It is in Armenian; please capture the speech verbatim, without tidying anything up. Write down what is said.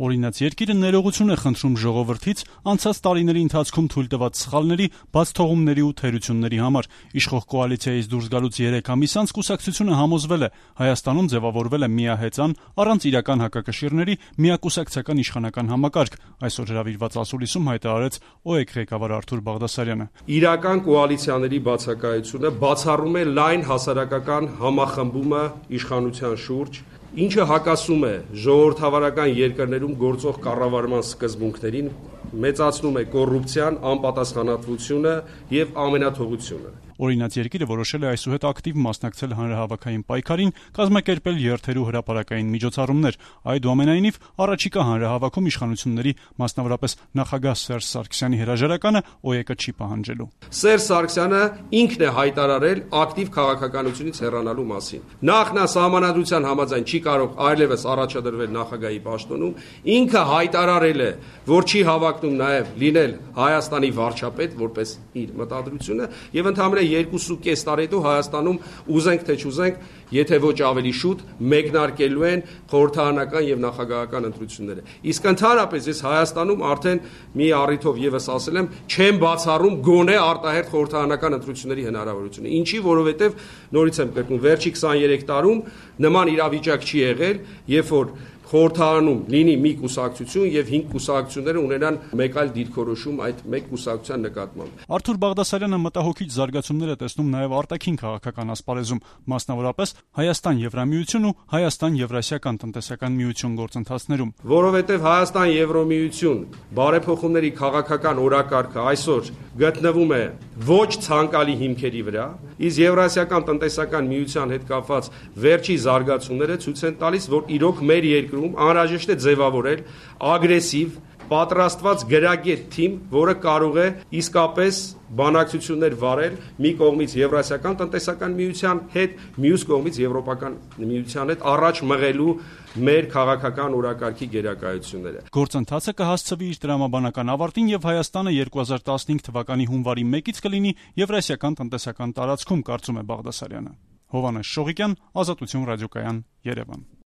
Օրինաց երկիրը ներողություն է խնդրում ժողովրդից անցած տարիների ընթացքում թույլ տված սխալների, բացթողումների ու թերությունների համար։ Իշխող կոալիցիայից դուրս գալուց երեք ամիս անց կուսակցությունը համոզվել է, Հայաստանում ձևավորվել է միահեծան, առանց իրական հակակշիռների միակուսակցական իշխանական համակարգ, այսօր հրավիրված ասուլիսում հայտարարեց ՕԵԿ ղեկավար Արթուր Բաղդասարյանը։ Իրական կոալիցիաների բացակայությունը բացառում է լայն հասարակական համախմբումը իշխանության շուրջ, ինչը հակասում է ժողովրդավարական երկրներում գործող կառավարման սկզբունքներին, մեծացնում է կոռուպցիան, անպատասխանատվությունը եւ ամենաթողությունը։ Օրինաց երկիրը որոշել է այսուհետ ակտիվ մասնակցել հանրահավաքային պայքարին, կազմակերպել երթեր ու հրապարակային միջոցառումներ։ Այդուամենայնիվ, առաջիկա հանրահավաքում իշխանությունների, մասնավորապես նախագահ Սերժ Սարգսյանի հրաժարականը ՕԵԿ-ը չի պահանջելու։ Սերժ Սարգսյանը ինքն է հայտարարել ակտիվ քաղաքականությունից հեռանալու մասին։ Նախ նա սահմանադրության համաձայն չի կարող այլևս առաջադրվել նախագահի պաշտոնում, ինքը հայտարարել է, որ չի հավակնում նաև լինել Հայաստանի վարչապետ, որպես իր մտադրությունը, եւ ընդհանրապես երկուսուկես տարի հետո Հայաստանում ուզենք թե չուզենք, եթե ոչ ավելի շուտ մեկնարկելու են խորհրդարանական եւ նախագահական ընտրությունները։ Իսկ ընդհանրապես ես Հայաստանում արդեն մի առիթով եւս ասել եմ, չեմ բացառում գոնե արտահերթ խորհրդարանական ընտրությունների հնարավորությունը։ Ինչի, որովհետեւ նորից եմ կրկնում, վերջի քսաներեք տարում նման իրավիճակ չի եղել, երբ որ խորհրդարանում լինի մի կուսակցություն եւ հինգ կուսակցությունները ունենան մեկ այլ դիրքորոշում այդ մեկ կուսակցության նկատմամբ։ Արթուր Բաղդասարյանը մտահոգիչ զարգացումներ է տեսնում նաեւ արտաքին քաղաքական ասպարեզում, մասնավորապես Հայաստան-Եվրամիություն ու Հայաստան-Եվրասիական տնտեսական միություն գործընթացներում։ Որովհետեւ Հայաստան-Եվրամիություն բարեփոխումների քաղաքական օրակարգը այսօր գտնվում է ոչ ցանկալի հիմքերի վրա, իսկ Եվրասիական տնտեսական միության հետ կապված վերջի զարգացումները ցույց են տալիս, որ իրոք մեր երկրում անհրաժեշտ է ձևավորել ագրեսիվ, պատրաստված գրագետ թիմ, որը կարող է իսկապես բանակցություններ վարել մի կողմից Եվրասիական տնտեսական միության հետ, մյուս կողմից Եվրոպական միության հետ, առաջ մղելու մեր քաղաքական օրակարգի գերակայությունները։ Գործընթացը կհասցվի իր տրամաբանական ավարտին եւ Հայաստանը երկու հազար տասնհինգ թվականի հունվարի մեկից կլինի Եվրասիական տնտեսական տարածքում, կարծում է Բաղդասարյանը։ Հովհաննես Շողիկյան, Ազատություն ռադիոկայան, Երևան։